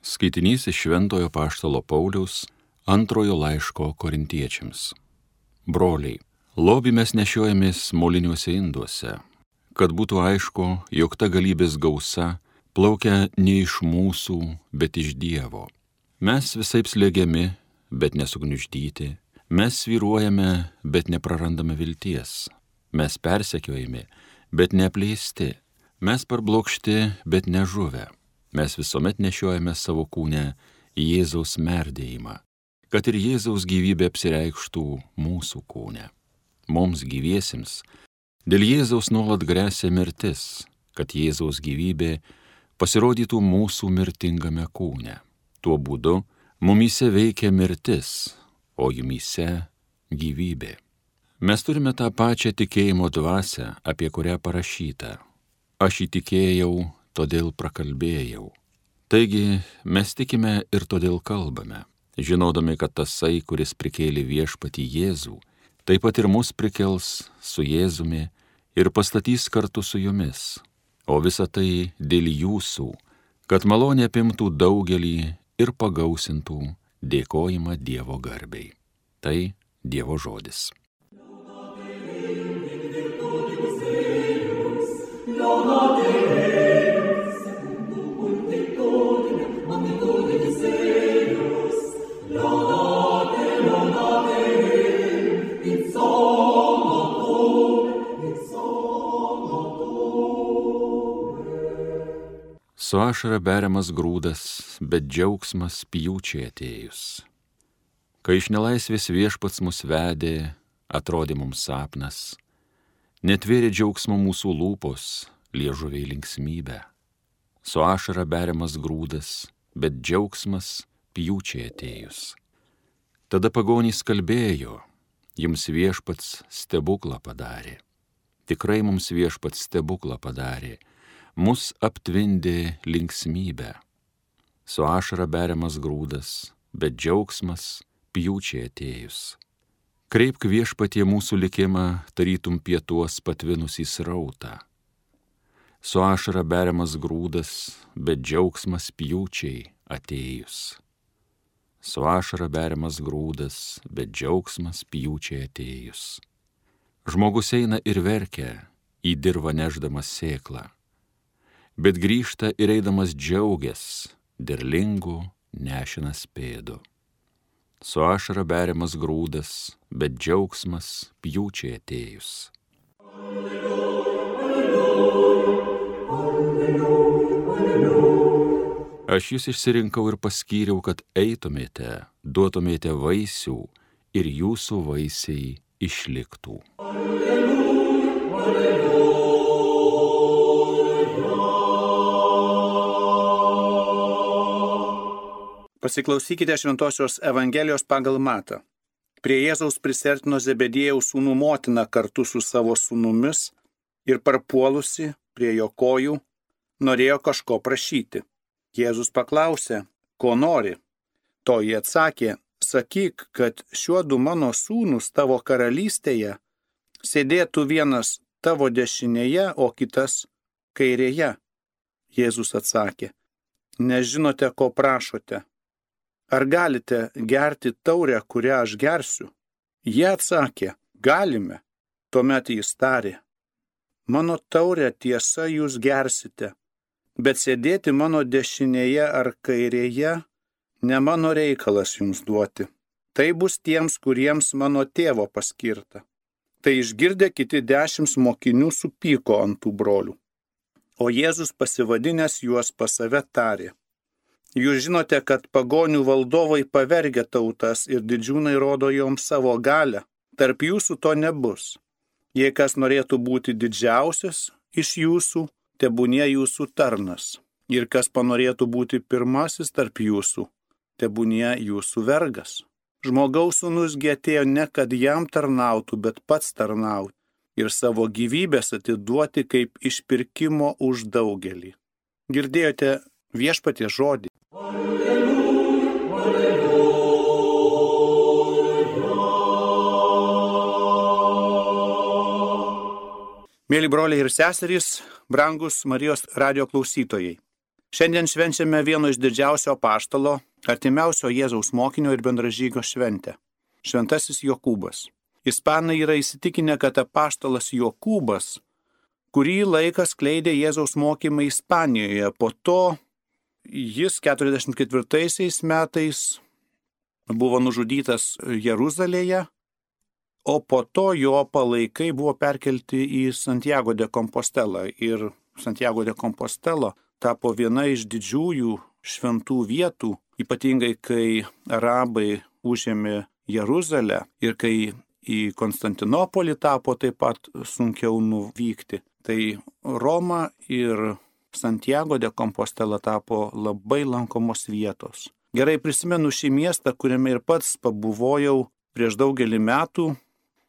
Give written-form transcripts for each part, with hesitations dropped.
Skaitinys iš Šventojo Apaštalo Pauliaus antrojo laiško Korintiečiams. Broliai, lobį mes nešiojamės moliniuose induose, kad būtų aišku, jog ta galybės gausa plaukia ne iš mūsų, bet iš Dievo. Mes visaip slėgiami, bet nesugniuždyti, mes svyruojame, bet neprarandame vilties, mes persekiojami, bet neapleisti, mes parblokšti, bet nežuvę. Mes visuomet nešiojame savo kūne Jėzaus merdėjimą, kad ir Jėzaus gyvybė apsireikštų mūsų kūne. Mums gyviesiems dėl Jėzaus nuolat gresia mirtis, kad Jėzaus gyvybė pasirodytų mūsų mirtingame kūne. Tuo būdu mumyse veikia mirtis, o jumyse gyvybė. Mes turime tą pačią tikėjimo dvasią, apie kurią parašyta. Aš įtikėjau, todėl prakalbėjau. Taigi mes tikime ir todėl kalbame, žinodami, kad tasai, kuris prikėlė viešpatį Jėzų, taip pat ir mus prikels su Jėzumi ir pastatys kartu su jumis. O visa tai dėl jūsų, kad malonė apimtų daugelį ir pagausintų dėkojimą Dievo garbei. Tai Dievo žodis. Su ašara beriamas grūdas, bet džiaugsmas pjūčiai atėjus. Kai iš nelaisvės viešpats mus vedė, atrodė mums sapnas, netvėrė džiaugsmo mūsų lūpos, liežuviai linksmybę. Su ašara beriamas grūdas, bet džiaugsmas pjūčiai atėjus. Tada pagonys kalbėjo, jums viešpats stebuklą padarė. Tikrai mums viešpats stebuklą padarė. Mus aptvindė linksmybę. Su ašara beriamas grūdas, bet džiaugsmas pjūčiai atėjus. Kreipk viešpatie mūsų likimą, tarytum pietuos patvinusį srautą. Su ašara beriamas grūdas, bet džiaugsmas pjūčiai atėjus. Su ašara beriamas grūdas, bet džiaugsmas pjūčiai atėjus. Žmogus eina ir verkia, į dirvą nešdamas sėklą, bet grįžta ir eidamas džiaugias, derlingų nešinas pėdu. Su ašara beriamas grūdas, bet džiaugsmas pjūčiai atėjus. Aš jūs išsirinkau ir paskyriau, kad eitumėte, duotumėte vaisių ir jūsų vaisiai išliktų. Pasiklausykite Šventosios Evangelijos pagal Matą. Prie Jėzaus prisiartino Zebediejaus sūnų motina kartu su savo sūnumis ir parpuolusi prie jo kojų norėjo kažko prašyti. Jėzus paklausė, ko nori. Toji atsakė, sakyk, kad šiuodu mano sūnus tavo karalystėje sėdėtų vienas tavo dešinėje, o kitas kairėje. Jėzus atsakė, nežinote, ko prašote. Ar galite gerti taurę, kurią aš gersiu? Jie atsakė, galime. Tuomet jis tarė, mano taurę tiesa jūs gersite, bet sėdėti mano dešinėje ar kairėje ne mano reikalas jums duoti. Tai bus tiems, kuriems mano tėvo paskirta. Tai išgirdę kiti 10 mokinių supyko ant tų brolių. O Jėzus pasivadinęs juos pas save tarė, jūs žinote, kad pagonių valdovai pavergia tautas ir didžiūnai rodo joms savo galią. Tarp jūsų to nebus. Jei kas norėtų būti didžiausias iš jūsų, tebūnie jūsų tarnas. Ir kas panorėtų būti pirmasis tarp jūsų, tebūnie jūsų vergas. Žmogaus sūnus gi atėjo ne, kad jam tarnautų, bet pats tarnauti ir savo gyvybės atiduoti kaip išpirkimo už daugelį. Girdėjote viešpaties žodį. Mėly broliai ir seserys, brangus Marijos radijo klausytojai. Šiandien švenčiame vieno iš didžiausio apaštalo, artimiausio Jėzaus mokinio ir bendražygio šventę - Šventasis Jokūbas. Ispanai yra įsitikinę, kad apaštalas Jokūbas kurį laiką skleidė Jėzaus mokymą Ispanijoje. Po to jis 44 metais buvo nužudytas Jeruzalėje, o po to jo palaikai buvo perkelti į Santiago de Compostelą. Ir Santiago de Compostela tapo viena iš didžiųjų šventų vietų, ypatingai kai arabai užėmė Jeruzalę ir kai į Konstantinopolį tapo taip pat sunkiau nuvykti. Tai Roma ir Santiago de Compostela tapo labai lankomos vietos. Gerai prisimenu šį miestą, kuriame ir pats pabuvojau prieš daugelį metų,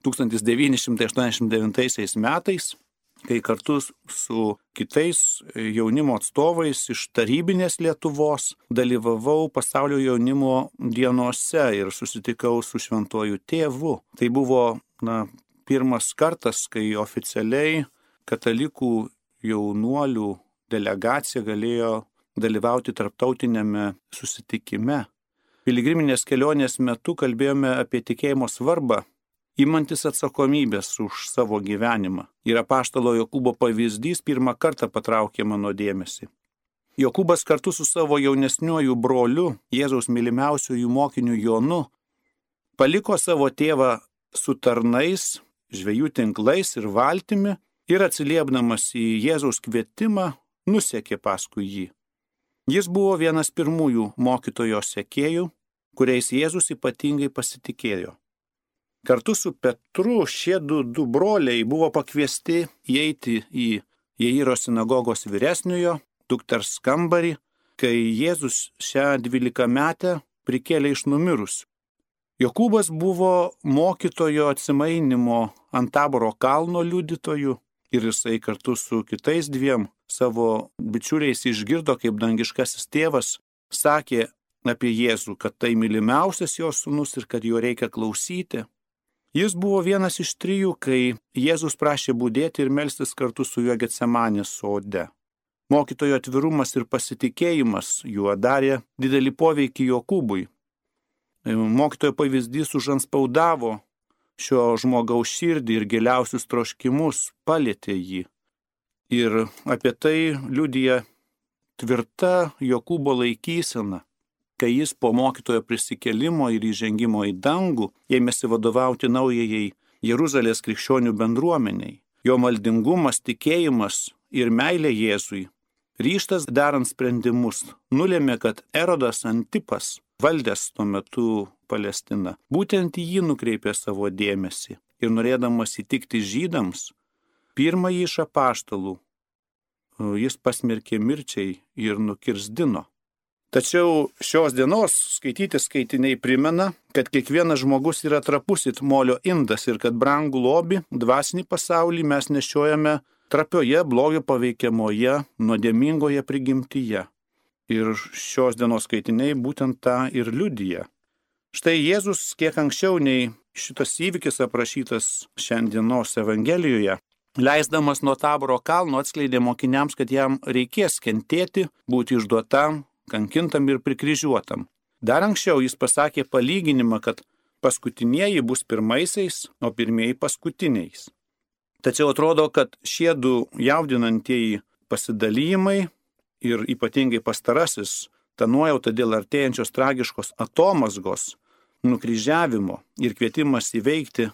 1989 metais, kai kartu su kitais jaunimo atstovais iš tarybinės Lietuvos dalyvavau pasaulio jaunimo dienose ir susitikau su šventuoju tėvu. Tai buvo pirmas kartas, kai oficialiai katalikų jaunuolių delegacija galėjo dalyvauti tarptautinėme susitikime. Piligriminės kelionės metu kalbėjome apie tikėjimo svarbą, imantis atsakomybės už savo gyvenimą. Ir apaštalo Jokūbo pavyzdys pirmą kartą patraukė mano dėmesį. Jokūbas kartu su savo jaunesniuoju broliu, Jėzaus mylimiausiųjų mokiniu Jonu, paliko savo tėvą su tarnais, žvejų tinklais ir valtimi ir atsiliepdamas į Jėzaus kvietimą, nusekė paskui jį. Jis buvo vienas pirmųjų mokytojo sekėjų, kuriais Jėzus ypatingai pasitikėjo. Kartu su Petru šie du broliai buvo pakviesti įeiti į Jairo sinagogos vyresniojo dukters kambarį, kai Jėzus šią 12-metę prikėlė iš numirusių. Jokūbas buvo mokytojo atsimainimo ant Taboro kalno liudytoju ir jisai kartu su kitais dviem savo bičiuliais išgirdo, kaip dangiškasis tėvas sakė apie Jėzų, kad tai mylimiausias jo sūnus ir kad jo reikia klausyti. Jis buvo vienas iš 3, kai Jėzus prašė budėti ir melstis kartu su juo Getsemanės sode. Mokytojo atvirumas ir pasitikėjimas juo darė didelį poveikį Jokūbui. Mokytojo pavyzdys užanspaudavo šio žmogaus širdį ir giliausius troškimus, palietė jį. Ir apie tai liudija tvirta Jokūbo laikysena, kai jis po mokytojo prisikėlimo ir įžengimo į dangų ėmėsi vadovauti naujajai Jeruzalės krikščionių bendruomeniai. Jo maldingumas, tikėjimas ir meilė Jėzui, ryžtas darant sprendimus, nulėmė, kad Erodas Antipas, valdęs tuo metu Palestiną, būtent į jį nukreipė savo dėmesį ir norėdamas įtikti žydams, pirmąjį iš apaštalų jis pasmerkė mirčiai ir nukirsdino. Tačiau šios dienos skaityti skaitiniai primena, kad kiekvienas žmogus yra trapus it molio indas ir kad brangų lobį, dvasinį pasaulį mes nešiojame trapioje, blogio paveikiamoje, nuodėmingoje prigimtyje. Ir šios dienos skaitiniai būtent tą ir liudija. Štai Jėzus kiek anksčiau nei šitas įvykis aprašytas šiandienos Evangelijoje, leisdamas nuo Taboro kalno atskleidė mokiniams, kad jam reikės kentėti, būti išduotam, kankintam ir prikryžiuotam. Dar anksčiau jis pasakė palyginimą, kad paskutinieji bus pirmaisiais, o pirmieji paskutiniais. Tačiau atrodo, kad šie du jaudinantieji pasidalijimai ir ypatingai pastarasis, ta nuojauta dėl artėjančios tragiškos atomazgos, nukryžiavimo ir kvietimas įveikti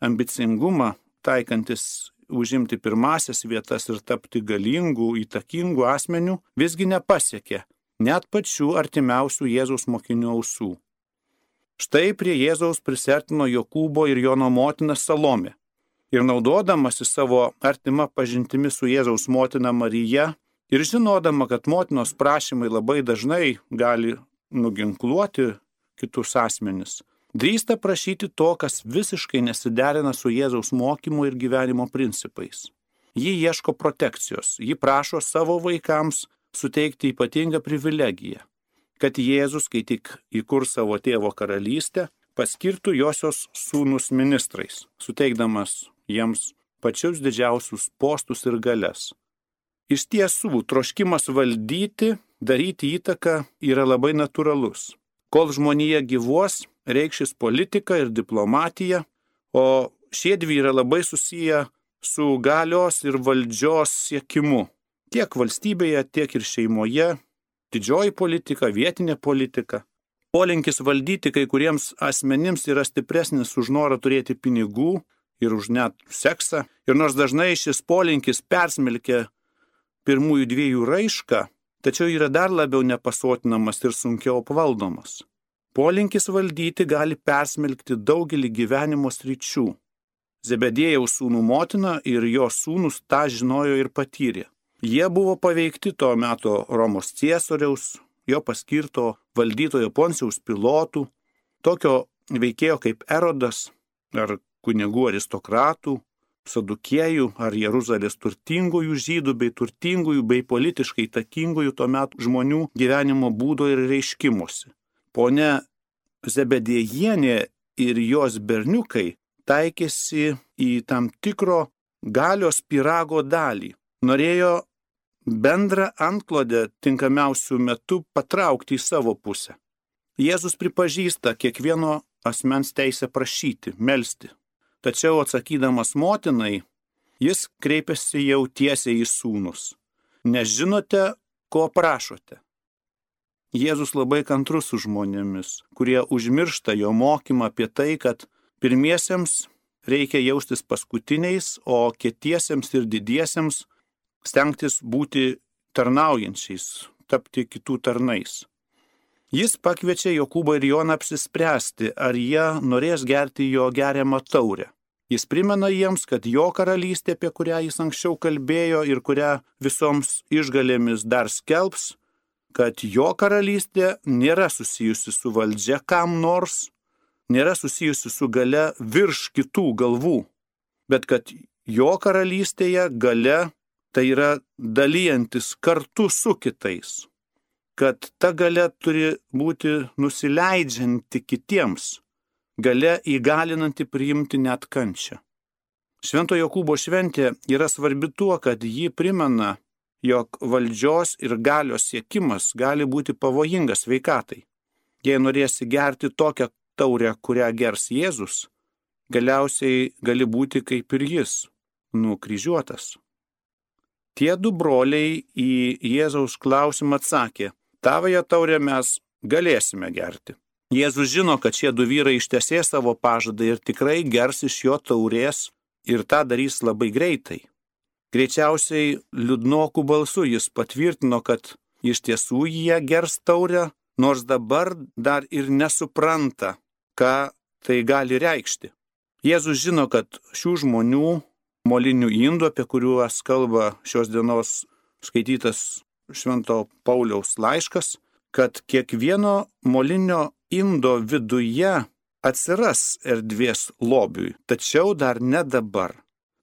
ambicingumą, taikantis užimti pirmasias vietas ir tapti galingų, įtakingų asmenių, visgi nepasiekė net pačių artimiausių Jėzaus mokinių ausų. Štai prie Jėzaus prisertino Jokūbo ir Jono motina Salomė. Ir naudodamasi savo artima pažintimi su Jėzaus motina Marija ir žinodama, kad motinos prašymai labai dažnai gali nuginkluoti kitus asmenis, drįsta prašyti to, kas visiškai nesiderina su Jėzaus mokymu ir gyvenimo principais. Ji ieško protekcijos, ji prašo savo vaikams suteikti ypatingą privilegiją, kad Jėzus, kai tik įkurs savo tėvo karalystę, paskirtų josios sūnus ministrais, suteikdamas jiems pačius didžiausius postus ir galias. Iš tiesų, troškimas valdyti, daryti įtaką yra labai natūralus. Kol žmonija gyvuos, reikšis politika ir diplomatija, o šie dvi yra labai susiję su galios ir valdžios siekimu. Tiek valstybėje, tiek ir šeimoje, didžioji politika, vietinė politika. Polinkis valdyti kai kuriems asmenims yra stipresnis už norą turėti pinigų ir už net seksą. Ir nors dažnai šis polinkis persmelkia pirmųjų dviejų raišką, tačiau yra dar labiau nepasotinamas ir sunkiau apvaldomas. Polinkis valdyti gali persmelkti daugelį gyvenimo sričių. Zebediejaus sūnų motina ir jo sūnus tą žinojo ir patyrė. Jie buvo paveikti to meto Romos ciesoriaus, jo paskirto valdytojo Poncijaus Pilotų, tokio veikėjo kaip Erodas, ar kunigų aristokratų, Sadukiejų, ar Jeruzalės turtingųjų žydų, bei turtingųjų, bei politiškai įtakingųjų to meto žmonių gyvenimo būdo ir reiškimuose. Ponia Zebediejienė ir jos berniukai taikėsi į tam tikro galios pyrago dalį. Norėjo bendrą antklodę tinkamiausių metų patraukti į savo pusę. Jėzus pripažįsta kiekvieno asmens teisę prašyti, melsti. Tačiau atsakydamas motinai, jis kreipiasi jau tiesiai į sūnus. Nežinote, ko prašote. Jėzus labai kantrus su žmonėmis, kurie užmiršta jo mokymą apie tai, kad pirmiesiems reikia jaustis paskutiniais, o kietiesiems ir didiesiems stengtis būti tarnaujančiais, tapti kitų tarnais. Jis pakviečia Jokūbą ir Joną apsispręsti, ar jie norės gerti jo geriamą taurę. Jis primena jiems, kad jo karalystė, apie kurią jis anksčiau kalbėjo ir kurią visoms išgalėmis dar skelbs, kad jo karalystė nėra susijusi su valdžia kam nors, nėra susijusi su gale virš kitų galvų, bet kad jo karalystėje gale tai yra dalyjantis kartu su kitais, kad ta galia turi būti nusileidžianti kitiems, galia įgalinanti priimti net kančią. Švento Jokūbo šventė yra svarbi tuo, kad ji primena, jog valdžios ir galios siekimas gali būti pavojingas sveikatai. Jei norėsi gerti tokią taurę, kurią gers Jėzus, galiausiai gali būti kaip ir jis, nukryžiuotas. Tie du broliai į Jėzaus klausimą atsakė, tavąją taurę mes galėsime gerti. Jėzus žino, kad šie du vyrai ištesės savo pažadą ir tikrai gers iš jo taurės ir tą darys labai greitai. Greičiausiai liūdnokų balsu jis patvirtino, kad iš tiesų jie gers taurę, nors dabar dar ir nesupranta, ką tai gali reikšti. Jėzus žino, kad šių žmonių molinių indų, apie kuriuos kalba šios dienos skaitytas Švento Pauliaus laiškas, kad kiekvieno molinio indo viduje atsiras erdvės lobiui, tačiau dar ne dabar.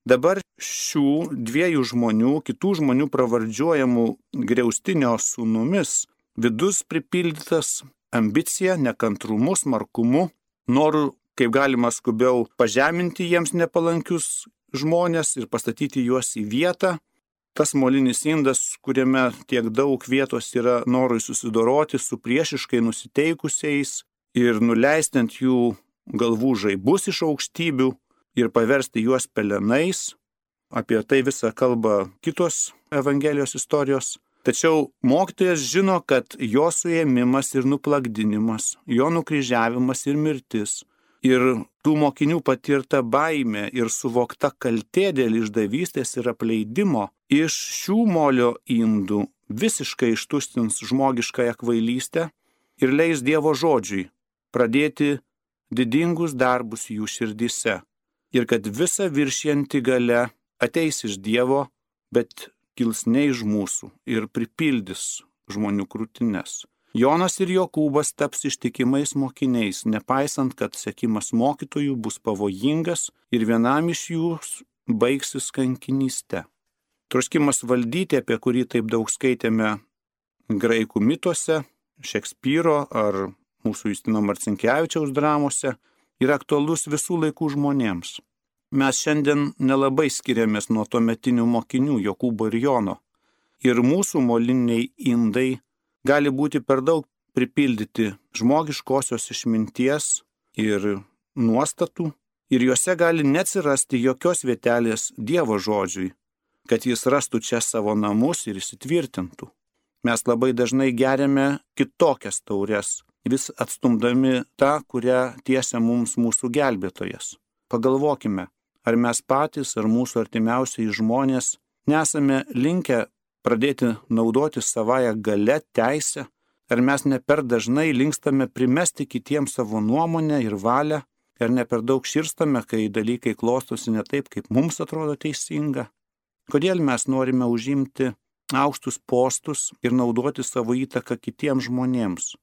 Dabar šių dviejų žmonių, kitų žmonių pravardžiuojamų griaustinio sūnumis, vidus pripildytas ambicija, nekantrumu, smarkumu, noru kaip galima skubiau pažeminti jiems nepalankius žmonės ir pastatyti juos į vietą. Tas molinis indas, kuriame tiek daug vietos yra norui susidoroti su priešiškai nusiteikusiais ir nuleisti ant jų galvų žaibus iš aukštybių ir paversti juos pelenais. Apie tai visą kalba kitos Evangelijos istorijos. Tačiau mokytojas žino, kad jo suėmimas ir nuplakdinimas, jo nukryžiavimas ir mirtis, ir tų mokinių patirta baimė ir suvokta kaltė dėl išdavystės ir apleidimo iš šių molio indų visiškai ištustins žmogiškąją kvailystę ir leis Dievo žodžiui pradėti didingus darbus jų širdyse. Ir kad visa viršijanti galia ateis iš Dievo, bet kils ne iš mūsų ir pripildys žmonių krūtines. Jonas ir Jokūbas taps ištikimais mokiniais, nepaisant, kad sekimas mokytojų bus pavojingas ir vienam iš jų baigsis kankinyste. Troškimas valdyti, apie kurį taip daug skaitėme graikų mituose, Šekspyro ar mūsų Justino Marcinkevičiaus dramose, yra aktualus visų laikų žmonėms. Mes šiandien nelabai skiriamės nuo tuometinių mokinių Jokūbo ir Jono. ir mūsų moliniai indai gali būti per daug pripildyti žmogiškosios išminties ir nuostatų, ir juose gali neatsirasti jokios vietelės Dievo žodžiui, kad jis rastų čia savo namus ir įsitvirtintų. Mes labai dažnai geriame kitokias taures, vis atstumdami tą, kurią tiesia mums mūsų gelbėtojas. Pagalvokime, ar mes patys, ar mūsų artimiausiai žmonės nesame linkę pradėti naudoti savąją galę, teisę, ar mes ne per dažnai linkstame primesti kitiems savo nuomonę ir valią, ar ne per daug širstame, kai dalykai klostosi ne taip, kaip mums atrodo teisinga. Kodėl mes norime užimti aukštus postus ir naudoti savo įtaką kitiems žmonėms?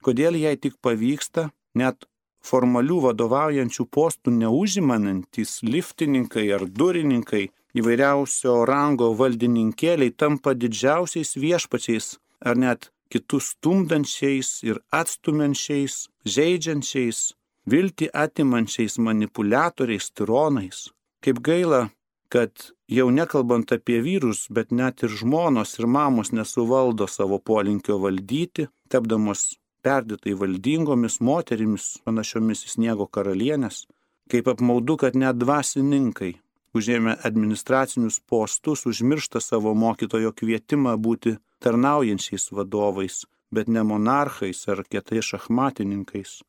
Kodėl jei tik pavyksta, net formalių vadovaujančių postų neužimanantys liftininkai ar durininkai, įvairiausio rango valdininkėliai tampa didžiausiais viešpačiais ar net kitus stumdančiais ir atstumiančiais, žeidžiančiais, viltį atimančiais manipuliatoriais, tironais. Kaip gaila, kad jau nekalbant apie vyrus, bet net ir žmonos ir mamos nesuvaldo savo polinkio valdyti, tapdamos perdėtai valdingomis moterimis, panašiomis į sniego karalienės. Kaip apmaudu, kad net dvasininkai, užėmę administracinius postus, užmiršta savo mokytojo kvietimą būti tarnaujančiais vadovais, bet ne monarchais ar kietais šachmatininkais.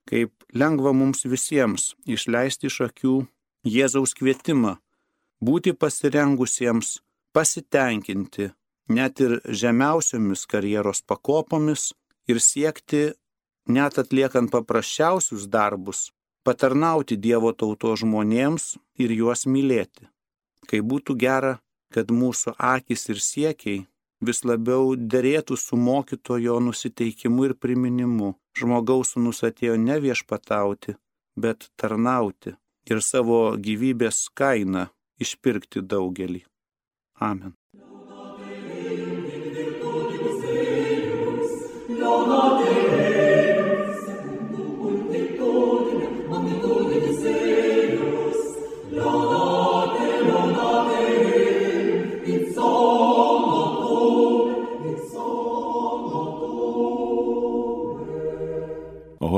Kaip lengva mums visiems išleisti iš akių Jėzaus kvietimą, būti pasirengusiems pasitenkinti net ir žemiausiomis karjeros pakopomis ir siekti, net atliekant paprasčiausius darbus, patarnauti Dievo tautos žmonėms ir juos mylėti. Kai būtų gera, kad mūsų akys ir siekiai vis labiau derėtų su mokytojo nusiteikimu ir priminimu. Žmogaus sūnus atėjo ne viešpatauti, bet tarnauti ir savo gyvybės kainą išpirkti daugelį. Amen.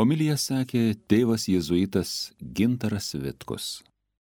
Homiliją sakė tėvas jėzuitas Gintaras Vitkus.